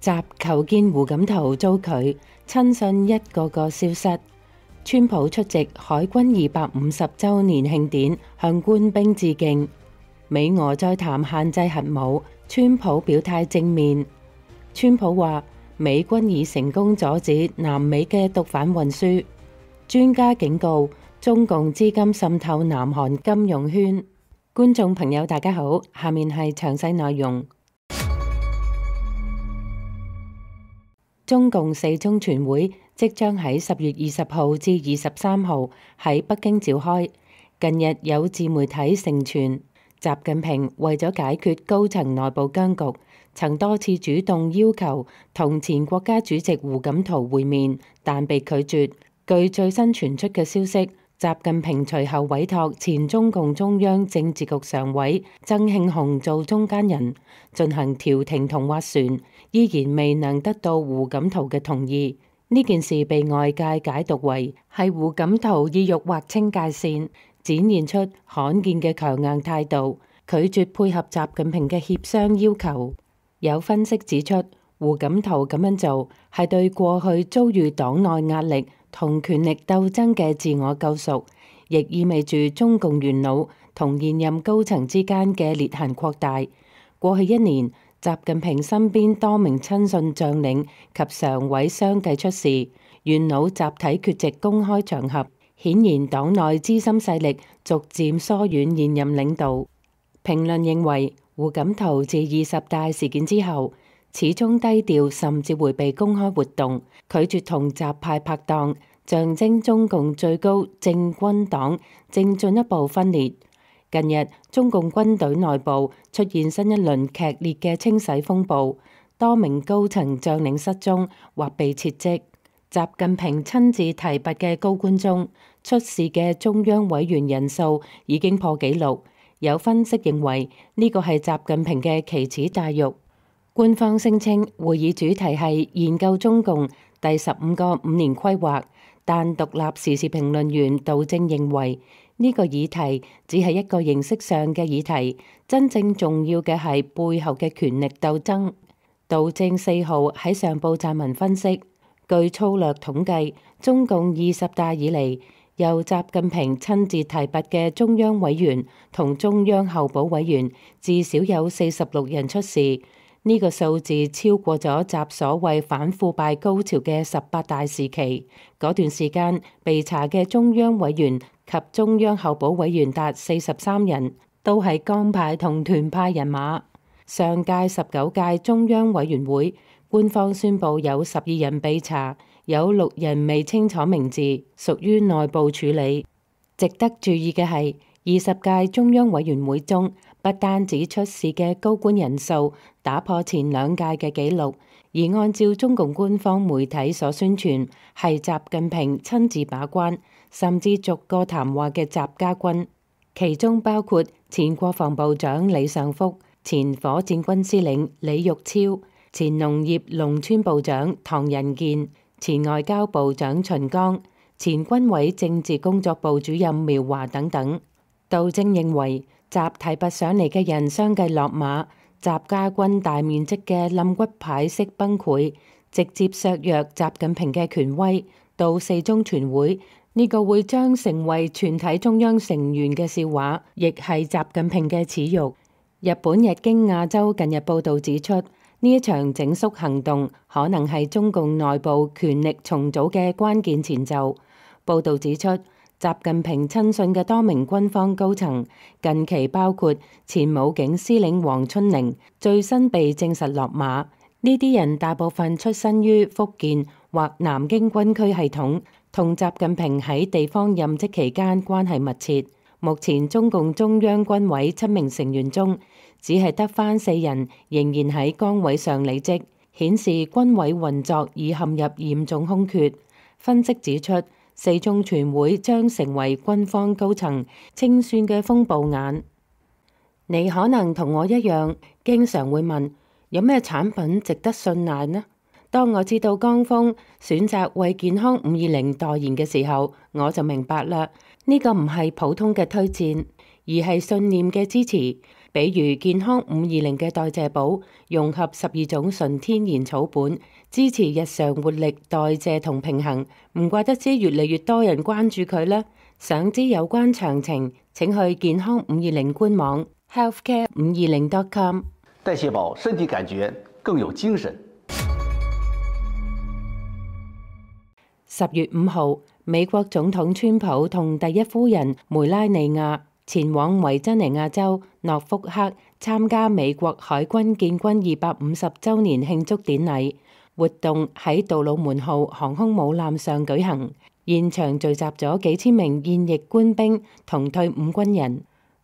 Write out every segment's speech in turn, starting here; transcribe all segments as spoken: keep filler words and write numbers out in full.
習求見胡錦濤遭拒，親信一個個消失。川普出席海軍二百五十週年慶典，向官兵致敬。美俄再談限制核武，川普表態正面。川普話美軍已成功阻止南美嘅毒販運輸。專家警告中共資金滲透南韓金融圈。觀眾朋友大家好，下面係詳細內容。中共四中全會即將喺十月二十號至二十三號喺北京召開。近日有自媒體盛傳，習近平為咗解決高層內部僵局，曾多次主動要求同前國家主席胡錦濤會面，但被拒絕。據最新傳出嘅消息，習近平隨後委託前中共中央政治局常委曾慶紅做中間人，進行調停同斡旋，依然未能得到胡錦濤嘅同意。呢件事被外界解讀為係胡錦濤意欲劃清界線，展現出罕見嘅強硬態度，拒絕配合習近平嘅協商要求。有分析指出，胡錦濤咁樣做係對過去遭遇黨內壓力同權力鬥爭嘅自我救贖，亦意味住中共元老同現任高層之間嘅裂痕擴大。過去一年，習近平身邊多名親信將領及常委相繼出事，元老集體缺席公開場合，顯然黨內資深勢力逐漸疏遠現任領導。評論認為，胡錦濤自二十大事件之後，始終低調，甚至迴避公開活動，拒絕同習派拍檔，象徵中共最高政軍黨正進一步分裂。近日，中共軍隊內部出現新一輪劇烈嘅清洗風暴，多名高層將領失蹤或被撤職。習近平親自提拔嘅高官中，出事嘅中央委員人數已經破紀錄。有分析認為，呢個係習近平嘅奇恥大辱。官方聲稱會議主題係研究中共第十五個五年規劃，但獨立時事評論員杜正認為呢個議題只係一個形式上嘅議題，真正重要嘅係背後嘅權力鬥爭。杜正四號喺上報撰文分析，據粗略統計，中共二十大以嚟由習近平親自提拔嘅中央委員同中央候補委員至少有四十六人出事。呢個數字超過咗習所謂反腐敗高潮嘅十八大時期，嗰段時間被查嘅中央委員及中央候補委員達四十三人，都係江派同團派人馬。上屆十九屆中央委員會官方宣布有十二人被查，有六人未清楚名字，屬於內部處理。值得注意嘅係，二十屆中央委員會中，不單止出事嘅高官人數打破前兩屆嘅紀錄，而按照中共官方媒體所宣傳，係習近平親自把關，甚至逐個談話嘅習家軍，其中包括前國防部長李尚福、前火箭軍司令李玉超、前農業農村部長唐仁健、前外交部長秦剛、前軍委政治工作部主任苗華等等。杜正認為，習提拔上嚟嘅人相繼落馬，習家軍大面積嘅冧骨牌式崩潰，直接削弱習近平嘅權威。到四中全會，呢、這個會將成為全體中央成員嘅笑話，亦係習近平嘅恥辱。日本日經亞洲近日報導指出，呢一場整肅行動可能係中共內部權力重組嘅關鍵前奏。報導指出，習近平親信嘅多名軍方高層，近期包括前武警司令黃春玲，最新被證實落馬。呢啲人大部分出身於福建或南京軍區系統，同習近平喺地方任職期間關係密切。目前中共中央軍委七名成員中，只係得返四人仍然喺崗位上履職，顯示軍委運作已陷入嚴重空缺。分析指出，四中全會將成為軍方高層清算嘅風暴眼。你可能同我一樣，經常會問，有咩產品值得信賴呢？當我知道江峰選擇為健康五二零代言嘅時候，我就明白啦。呢個唔係普通嘅推薦，而係信念嘅支持。比如健康五二零嘅代謝寶，融合十二種純天然草本，支持日常活力、代謝同平衡。唔怪得知越嚟越多人關注佢啦。想知有關詳情，請去健康五二零官網 healthcare 五二零 dot com。代謝寶，身體感覺更有精神。十月五號，美國總統川普同第一夫人梅拉尼亞前往維珍尼亞州諾福克參加美國海軍建軍二百五十週年慶祝典禮，活動喺杜魯門號航空母艦上舉行，現場聚集咗幾千名現役官兵同退伍軍人。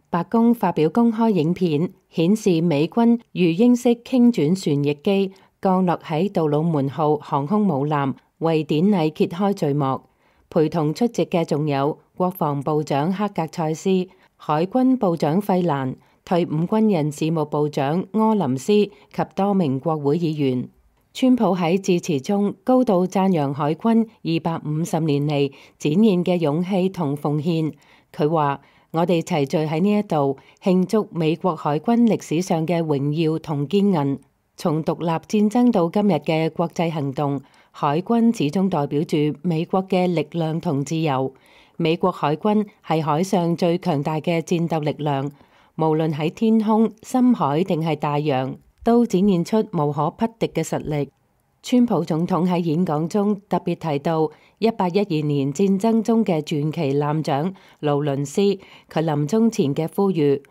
白宮發表公開影片，顯示美軍魚鷹式傾轉旋翼機降落喺杜魯門號航空母艦，為典禮揭開序幕。陪同出席嘅仲有國防部長克格塞斯、海軍部長費蘭、退伍軍人事務部長柯林斯及多名國會議員。川普喺致辭中高度讚揚海軍二百五十年嚟展現嘅勇氣同奉獻。佢話：我哋齊聚喺呢一度慶祝美國海軍歷史上嘅榮耀同堅韌。從獨立戰爭到今日嘅國際行動，海軍始終代表住美國嘅力量同自由。美國海軍係海上最強大嘅戰鬥力量，無論喺天空、深海定係大洋，都展現出無可匹敵嘅實力。川普總統喺演講中特別提到一八一二年戰爭中嘅傳奇艦長勞倫斯，佢臨終前嘅呼籲：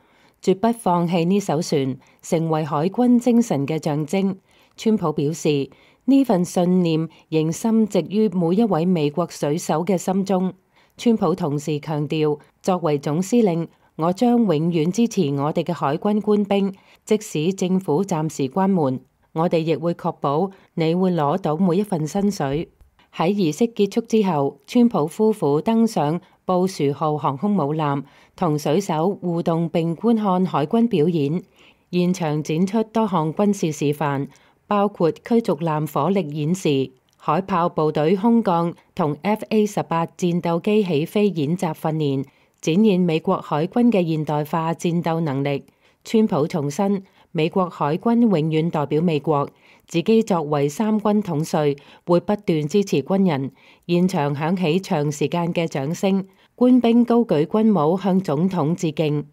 絕不放棄呢艘船，成為海軍精神嘅象徵。川普表示，呢份信念仍深植於每一位美國水手嘅心中。川普同時強調，作為總司令，我將永遠支持我哋嘅海軍官兵，即使政府暫時關門，我哋亦會確保你會攞到每一份薪水。喺儀式結束之後，川普夫婦登上布殊號航空母艦，同水手互動並觀看海軍表演，現場展出多項軍事示範，包括驅逐艦火力演示、海豹部隊空降同 F A 十八戰鬥機起飛演習訓練，展現美國海軍嘅現代化戰鬥能力。川普重申，美國海軍永遠代表美國，自己作為三軍統帥，會不斷支持軍人。現場響起長時間嘅掌聲，官兵高舉軍帽向總統致敬。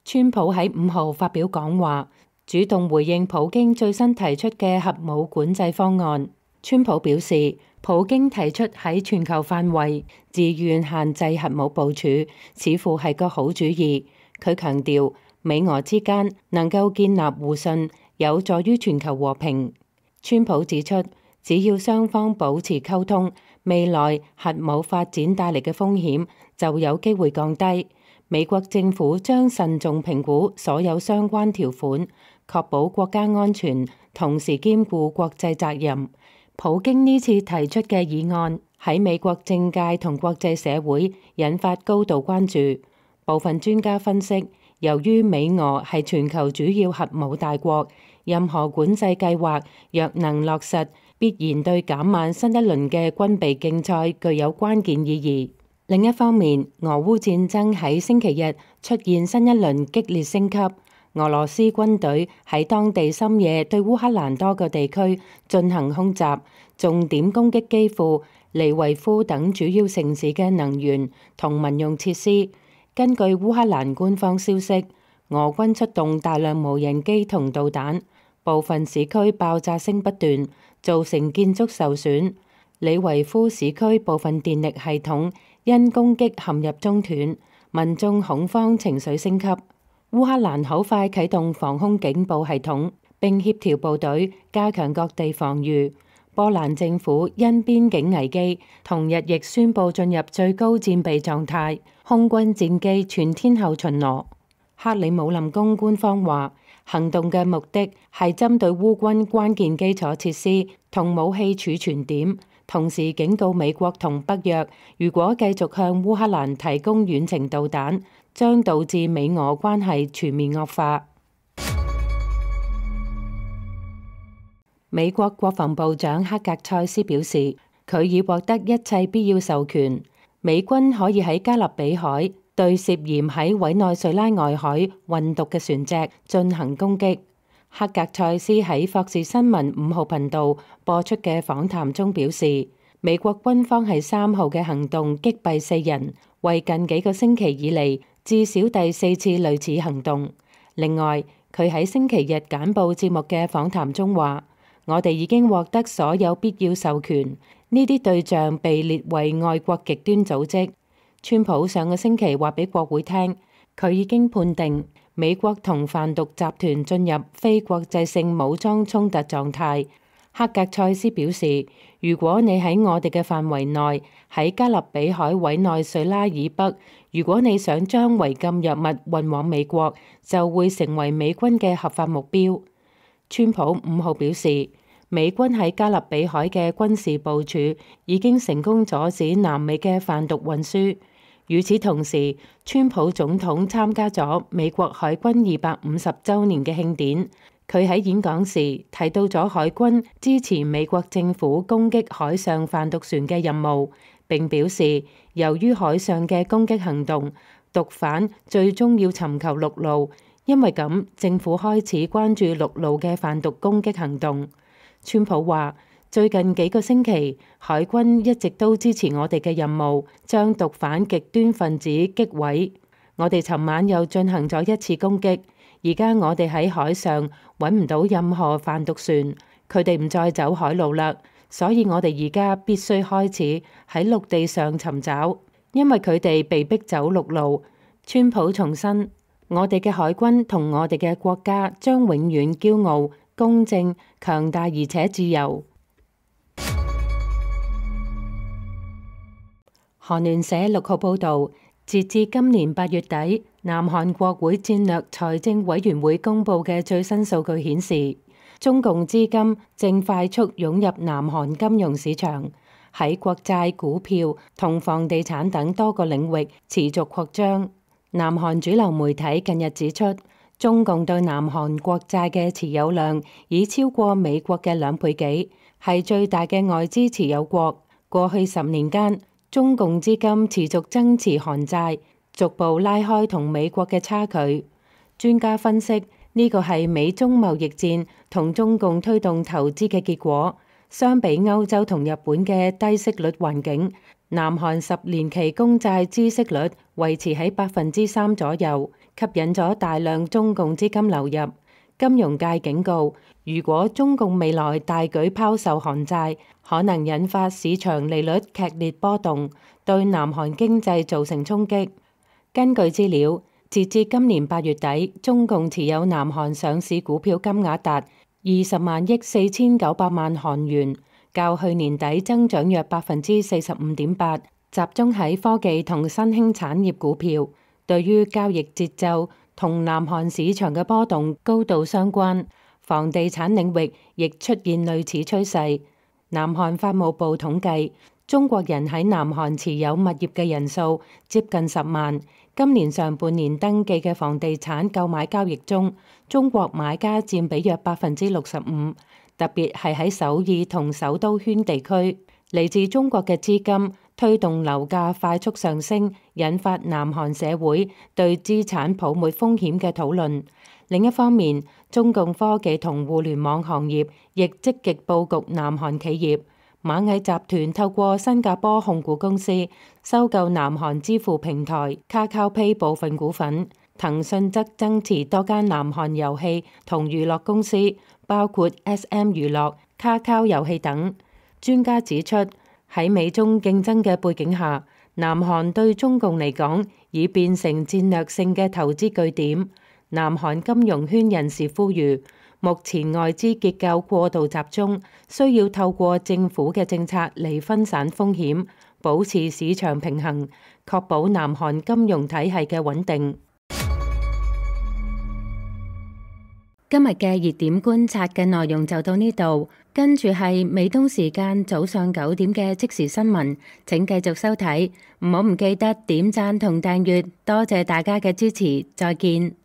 川普喺五號發表講話，主動回應普京最新提出嘅核武管制方案。川普表示，普京提出喺全球範圍自願限制核武部署，似乎係個好主意。佢強調，美俄之間能夠建立互信，有助於全球和平。川普指出，只要雙方保持溝通，未來核武發展帶嚟嘅風險就有機會降低。美國政府將慎重評估所有相關條款，確保國家安全，同時兼顧國際責任。普京呢次提出嘅議案喺美國政界同國際社會引發高度關注。部分專家分析，由於美俄係全球主要核武大國，任何管制計劃若能落實，必然對減慢新一輪嘅軍備競賽具有關鍵意義。另一方面，俄烏戰爭喺星期日出現新一輪激烈升級。俄羅斯軍隊喺當地深夜對烏克蘭多個地區進行空襲，重點攻擊基輔、利維夫等主要城市嘅能源同民用設施。根據烏克蘭官方消息，俄軍出動大量無人機同導彈，部分市區爆炸聲不斷，造成建築受損。利維夫市區部分電力系統因攻擊陷入中斷，民眾恐慌情緒升級。烏克蘭好快啟動防空警報系統，並協調部隊加強各地防禦。波蘭政府因邊境危機，同日亦宣布進入最高戰備狀態，空軍戰機全天候巡邏。克里姆林宮官方話，行動嘅目的係針對烏軍關鍵基礎設施同武器儲存點，同時警告美國同北約，如果繼續向烏克蘭提供遠程導彈，將導致美俄關係全面惡化。美國國防部長克格塞斯表示，佢已獲得一切必要授權，美軍可以喺加勒比海、對涉嫌喺委內瑞拉外海運毒嘅船隻進行攻擊。克格塞斯喺霍士新聞五號頻道播出嘅訪談中表示，美國軍方喺三號嘅行動擊斃四人，為近幾個星期以嚟至少第四次類似行動。另外，佢喺星期日簡報節目嘅訪談中話，我哋已經獲得所有必要授權，呢啲對象被列為外國極端組織。川普上個星期話俾國會聽，佢已經判定美國同販毒集團進入非國際性武裝衝突狀態。克格塞斯表示，如果你喺我哋嘅範圍內，喺加勒比海委內瑞拉以北，如果你想將違禁藥物運往美國，就會成為美軍嘅合法目標。川普五號表示，美軍喺加勒比海嘅軍事部署已經成功阻止南美嘅販毒運輸。與此同時，川普總統參加咗美國海軍二百五十週年嘅慶典。佢喺演講時提到咗海軍支持美國政府攻擊海上販毒船嘅任務，並表示由於海上嘅攻擊行動，毒販最終要尋求陸路，因為咁政府開始關注陸路嘅販毒攻擊行動。川普話，最近幾個星期，海軍一直都支持我哋嘅任務，將毒販極端分子擊毀。我哋尋晚又進行咗一次攻擊。而家我哋喺海上揾唔到任何販毒船，佢哋唔再走海路啦，所以我哋而家必須開始喺陸地上尋找，因為佢哋被逼走陸路。川普重申，我哋嘅海軍同我哋嘅國家將永遠驕傲、公正、強大而且自由。韓聯社六號報導，截至今年八月底，南韓國會戰略財政委員會公佈嘅最新數據顯示，中共資金正快速湧入南韓金融市場，喺國債、股票同房地產等多個領域持續擴張。南韓主流媒體近日指出，中共對南韓國債嘅持有量已超過美國嘅兩倍幾，係最大嘅外資持有國。過去十年間，中共資金持續增持韓債，逐步拉開同美國嘅差距。專家分析，呢個係美中貿易戰同中共推動投資嘅結果。相比歐洲同日本嘅低息率環境，南韓十年期公債孳息率維持喺百分之三左右，吸引咗大量中共資金流入。金融界警告，如果中共未來大舉拋售韓債，可能引發市場利率劇烈波動，對南韓經濟造成衝擊。根據資料，截至今年八月底，中共持有南韓上市股票金額達二十萬億四千九百萬韓元，較去年底增長約百分之四十五點八，集中喺科技同新興產業股票。對於交易節奏同南韓市場嘅波動高度相關，房地產領域亦出現類似趨勢。南韓法務部統計，中國人喺南韓持有物業嘅人數接近十萬。今年上半年登記嘅房地產購買交易中，中國買家佔比約百分之六十五，特別係喺首爾同首都圈地區，嚟自中國嘅資金推動樓價快速上升，引發南韓社會對資產泡沫風險嘅討論。另一方面，中共科技同互聯網行業亦積極佈局南韓企業。螞蟻集團透過新加坡控股公司收購南韓支付平台 KakaoPay 部分股份，騰訊則增持多間南韓遊戲同娛樂公司，包括 S M 娛樂、Kakao 遊戲等。專家指出，喺美中競爭嘅背景下，南韓對中共嚟講已變成戰略性嘅投資據點。南韓金融圈人士呼籲，目前外資結構過度集中，需要透過政府嘅政策嚟分散風險，保持市場平衡，確保南韓金融體系嘅穩定。今日嘅熱點觀察嘅內容就到呢度，跟住係美東時間早上九點嘅即時新聞，請繼續收睇，唔好唔記得點讚同訂閱，多謝大家嘅支持，再見。